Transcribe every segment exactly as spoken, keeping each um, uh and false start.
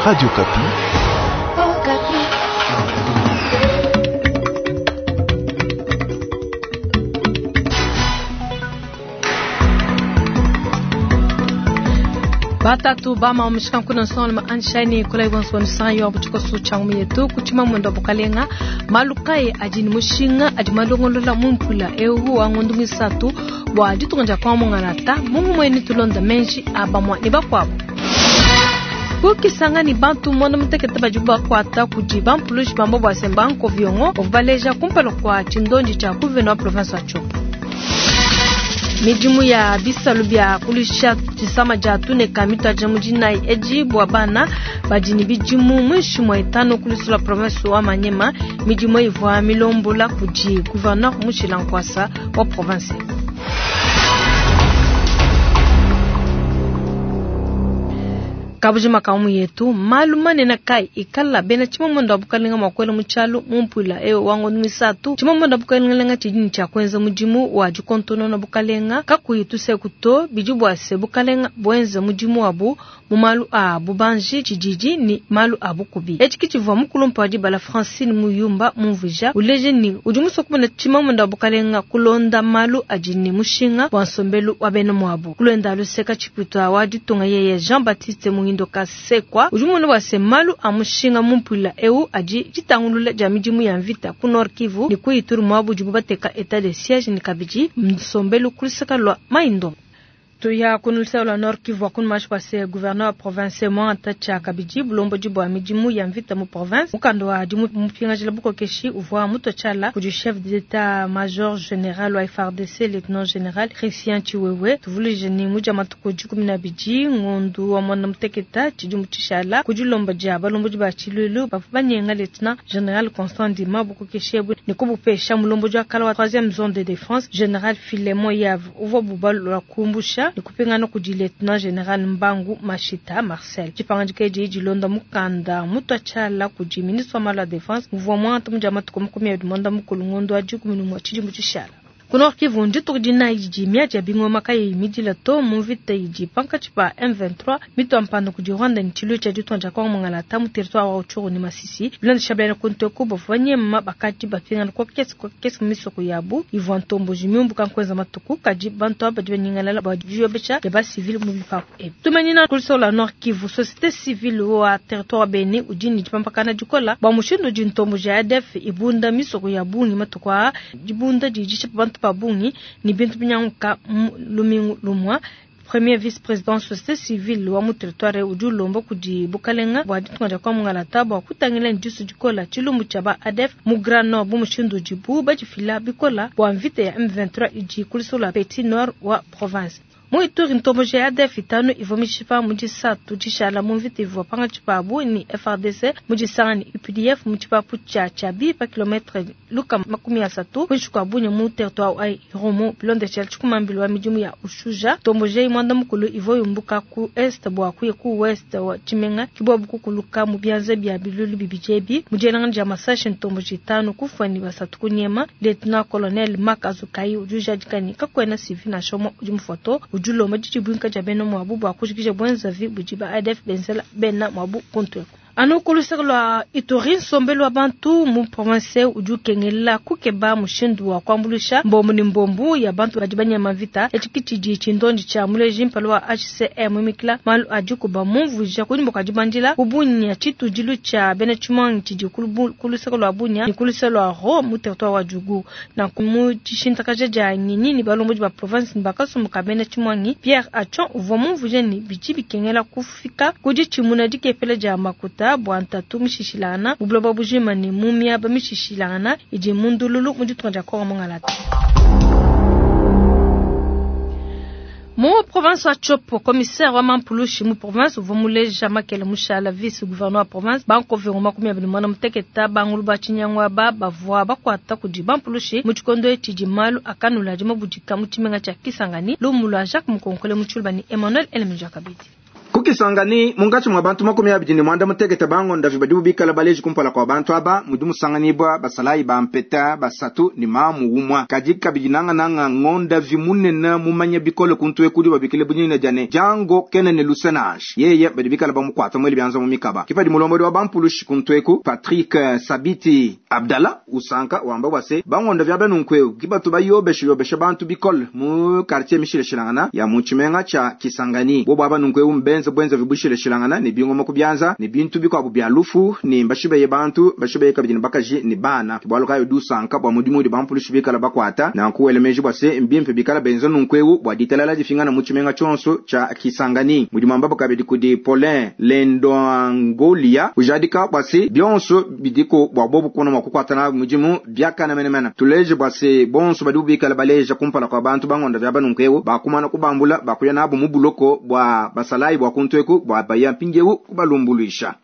Radio Okapi. Oh, Batatu bama omishika nkuna nsonga anshani kula ibonso nsanga yo buchiko changu yetu kuchima mwendo bukalenga malukaye ajini mushinga adi malongolola mumpula ewu wa ngondu misatu bwa ditunga kwa mungalata mungu mweni tulonda menji abamwa ni bakwabo kukisanga ni bantu mwana mutekete bajibu bakwata kudi bampulushi bambo bwa semba nkoviongo ovubaleja kumpala kwa chindonji cha guverneur wa province wa Tshopo. Midimu ya bisalu bya kulisha chisama ja tuneka mitwaja mujinai eji bwa bana bajini bijimu mwishi mwa itano kulisula province wa Manyema. Midimu ivwa milombola kudi gouverneur Mushila Nkwasa wa province. Kabujima kaumu yetu malu manene kai ikala bena chimamondo abukalinga mwakwela muchalu mumpula ewe wango misatu chimamondo abukalinga chijini cha kwenza mujimu wa jikontono na bukalenga kakuyi tusekuto bijibwase bukalenga bwenze mujimu wabu mumalu a bubanji chijiji ni malu a bukubi echiki chivwa mukulumpa wa dibala Francine Muyumba mumvuja uleje ni ujimuso kumena chimamondo abukalenga kulonda malu ajini mushinga wa nsombelu wa bena mwabu kulenda luseka chiputwa wa ditunga yeye Jean-Baptiste Muhindo Kasekwa ujumunu wase malu amushinga mumpula eu aji jitangulula ja midimu ya mvita ku Nord Kivu ni kuituru mwabu jibubateka etat de siège ni kabiji msombelu kulisaka lwa maindo tuya kunulisa lwa Nord Kivu akunu mashi kwase gouverneur wa province mwanta cha kabiji bulombo jibwa midimu ya mvita mu province mukando wa dimu mupingajila bukokeshi uvwa muto chala kudi chef d'état major général wa F A R D C lieutenant général Christian Chiwewe tuvulije ni muja matuku jikumi na biji ngondu wa mwana muteketa chidimu chishala kudi lomba dia balombo jiba chilulu bafu banyenga lieutenant général Constant Ndima bukokeshi ebu ni kubupesha mulombo jwa kala wa troisième zone de défense général Philemon Yav uvwa bubalu la kumbusha nikupingana kudi lieutenant général Mbangu Mashita Marcel chipangajike jiji londa mukanda mutwa chala kudi ministre wa malu ya défense muvua mwantu muja matuku makumi abidi mwanda mukulu ngondo wa dikumi numwa tshidimu tshishala. Ku Nord Kivu ndituku dinayi didi miadi ya bingoma kayi midila to mu mvita idi pankatshi pa M vingt-trois mitwa mpanda kudi Rwanda ni tshilu tshia ditunga dia Kongo Mongala mu territoire wa Rutshuru ni Masisi bilondesha bena kunteku bavua banyema bakadi bapingana kwa kesi kwa kesi mu misoko yabu ivua ntomboji miumbuka nkuenza matuku kadi bantu aba badi banyingalala bua diyobesha dia basivile mu bipapu ebi. Tumanyina kuliso la Nord Kivu société civile wa territoire wa Beni udi ni dipampakana dikola bua mushindu udi ntomboji ya A D F ibunda misoko ya bungi matuku aa dibunda didi bantu babungi ni bintu binyanguka lumingu lumwa. Premier vice-président société civile wa mu territoire udi ulomba kudi bukalenga bua ditunga dia Kongo Mongala bua kutangila ndisu dikola tshilumbu tshia ba A D F mu Grand Nord bu mushindu udibu badifila bikola bua mvita ya M vingt-trois idi kulisula Petit Nord wa province. Mu Ituri ntomboji ya A D F itanu ivua mishipa mu disatu dishala mu mvita ivua pangatshi pabu ni F A R D C mu disanga ni U P D F mu tshipapu tshia Tshabi pa kilometre luka makumi asatu kuinshi kua Bunia mu territoire wa Irumu bilondeshela tshikumambili wa midimu ya Ushuja. Ntomboji eyi mwanda mukulu ivua yumbuka ku est bua kuya ku ouest wa Tshimenga kibua bukukuluka mu bianza bia bilulu bibidi ebi mu dielangana dia masashi ntomboji itanu kufua ni basatu kunyema. Lieutenant colonel Mark Azukai udi ujadika ni kakuena civil nansha umue udi mufoto udi ulomba didibwinka dia bena mwabu bua kujikija bwenzavi budi ba A D F benzela bena mwabu kuntweko. Anu kuluseka lwa Ituri nsombelu wa bantu mu province udi ukengela kukeba mushindu wa kuambulusha mbombu ni mbombu ya bantu badi banyama mvita etshi tshidi tshindondi tshia muleji mpala wa H C M mikila malu adi kuba mumvuija kunyima kua dibandila ku Bunia tshitudilu tshia bena tshimuangi tshidi kuluseka lwa Bunia ni kuluseka lwa Ro mu territoire wa Djugu na mu tshishintakaja dia nginyi ni balombodi ba province ni bakasumbuka bena tshimuangi Pierre Achon uvua mumvuija ni bidi bikengela kufika kudi tshimuna dikepela dia makuta bua ntatu mishishilangana mu buloba bujima ni mu miaba mishishilangana idi mu ndululu mu ditunga dia Kongo Mongala. Mu province wa Tshopo, commissaire wa Mampulushi mu province uvua muleja Makele Mushala vice gouverneur wa province bankoviongo makumi abidi mwana muteketa bangulu ba tshinyangwa ba bavua bakuata kudi Bampulushi mu tshikondo etshi di malu akanula di mabudika mu tshimenga tshia Kisangani lumu lua Jacques Mukonkole mu Tshiluba ni Emmanuel Elemenja Kabidi. Ku Ku Kisangani, munkatshi mua bantu makumi abidi ne muanda mutekete bangondavi badibu bikala baleji kumpala kua bantu aba, mudi musanganibua basalayi ba mpeta basatu ne mamu umua. Kadi kabidi nangananga ngondavi munene mumanya bikole kuntu eku udi babikile bunene dia ne Django kena ne luse nansha. Yeye badi bikala bamukuata mwele bianza mu mikaba. Kipadi mulombodi wa bampulushi kuntu eku Patrick Sabiti Abdallah usanka wamba bua se bangondavi aba nunku kibatu bayobesha yobesha bantu bikole mu quartier mishilashilangana ya mu tshimenga tshia Kisangani. Bobo aba nunku mbenze bwenza vibushilashilangana ne bingoma ku bianza ne bintu bikuabu bia lufu ne mbashibeye bantu bashibeye kabidi ne bakaji ne bana. Bualu kayi udi usanka bua mudimu udi bampulushi bikala bakuata nanku wele meji bua se mbimpe bikala benza nunku ewu bua ditalala difingana mu tshimenga tshionso tshia Kisangani. Mudimu ambabo kabidi kudi Paulin Lendoangolia ujadika bua se bionso bidiko bua bobu kuna mua kukuata na mudimu biakana menemene. Tuleje bua se bonso badi bikala baleja kumpala kua bantu bangonda vya banunku ewu bakumana kubambula bakuya nabo mu buloko bua basalayi bua kuntu eku bua baya mpindiewu kubalumbuluisha.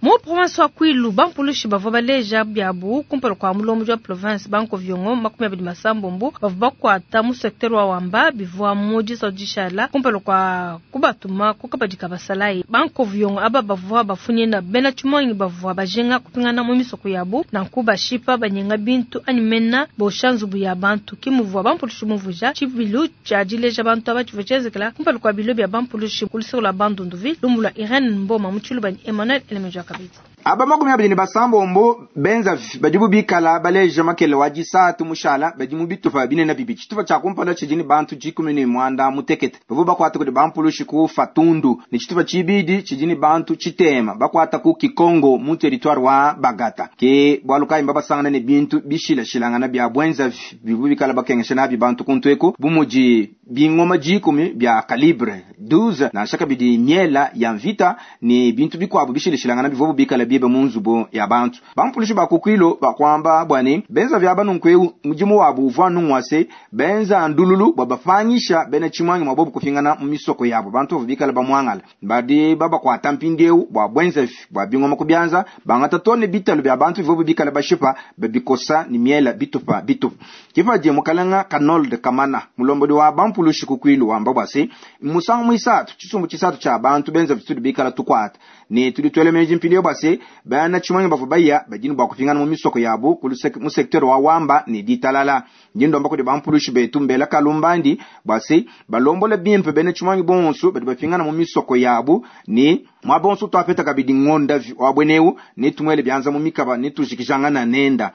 Mu province wa Kwilu, bampulushi bavua baleja biabu kumpala kua mulombodi wa province banko viongo makumi abidi masambombo bavua bakuata mu secteur wa Wamba bivua mu disatu dishala kumpala kua kubatuma kukabadika basalayi. Banko viongo aba bavua bafunyina bena tshimonyi bavua bajinga kupingana mu misoko yabu nanku bashipa banyenga bintu anyi mena bosha nzubu ya bantu. Kimuvua bampulushi muvuja tshibilu tshia dileja bantu aba tshivua tshienzekela kumpala kua bilo bia bampulushi ku luseke lua Bandunduvi lumu lua Irene Mboma mu Tshiluba Emmanuel Elemeja kabidi. Aba makumi abidi ne basambombo benza badibu bikala baleja makele wa disatu mushala badi mu bitupa binene bibidi. Tshitupa tshia kumpala tshidi ne bantu dikumi ne muanda mutekete bavua bakuata kudi bampulushi ku Fatundu, ne tshitupa tshibidi tshidi ne bantu tshitema bakuata ku Kikongo mu territoire wa Bagata. Ke bualu kayi mbabasangana ne bintu bishilashilangana bia bwenza bibu bikala bakengesha nabi bantu kuntu eku, bu mudi bingoma dikumi bia calibre douze, nansha kabidi miela ya mvita ne bintu bikuabu bishilashilangana bivua bikala biebe mu nzubu ya bantu. Bampulushi ba ku Kwilu bakwamba bua ne benza vya banunku ewu mudimu wabu uvua nungwa se benza ndululu bua bapangisha bena tshimwangi mwa bobu kupingana mu misoko yabo. Bantu bavua bikala bamuangala badi babakuata mpindiewu bua bwenza bua bingoma ku bianza bangata tone bitalu bia bantu bivua bikala bashipa babikosa ne miela bitupa bitupa. Kipadi mukalanga Kanold Kamana mulombodi wa bampulushi ku Kwilu wamba bua se musangu muisatu tshisumbu tshisatu tshia bantu benza vitudi bikala tukuata ne tudi tuele meji mpindiewu bua se bana tshimwangi bavua baya badini bua kupingana mu misoko yabu ku mu secteur wa Wamba ne ditalala. Ndindomba kudi bampulushi betu mbela kalumbandi bua se balombola bimpe bena tshimwangi bonso badi bapingana mu misoko yabu ne mwa bonso twapeta kabidi ngonda wa bweneu ne tumwele bianza mu mikaba ne tujikijangana nenda.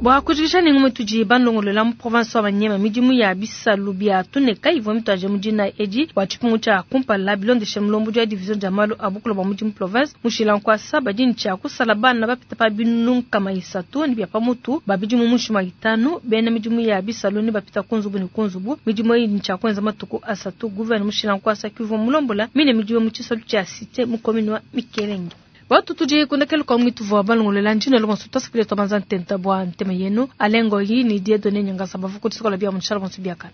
Bua kujikisha ne ngumu tudi bandongolola mu province wa Maniema midimu ya bisalu bia tuneka ivua mituaje mu dina edi bua tshipungu tshia kumpala bilondeshe mulombodi wa division dia malu a bukulu bua mudimu province mushila nkuasa badi ne tshia kusala bana bapita pa binunu nkama isatu ne bia pamutu ba bidimu muinshi itanu bena midimu ya bisalu ne bapita ku nzubu ne ku nzubu. Midimu eyi ne tshia kuenza matuku asatu. Gouverneur mushila nkuasa kivua mulombola mine midimu mu tshisalu tshia cité mu commune wa Mikelenge. Watu tuje kundekele kwa mwitu vwa balongolela njino lo bonso tasipile tobanza ntenta bwa ntema yenu alengo yi ni Dieudonné Nyangasa bavuku tsokola bia munshala bonso biakana.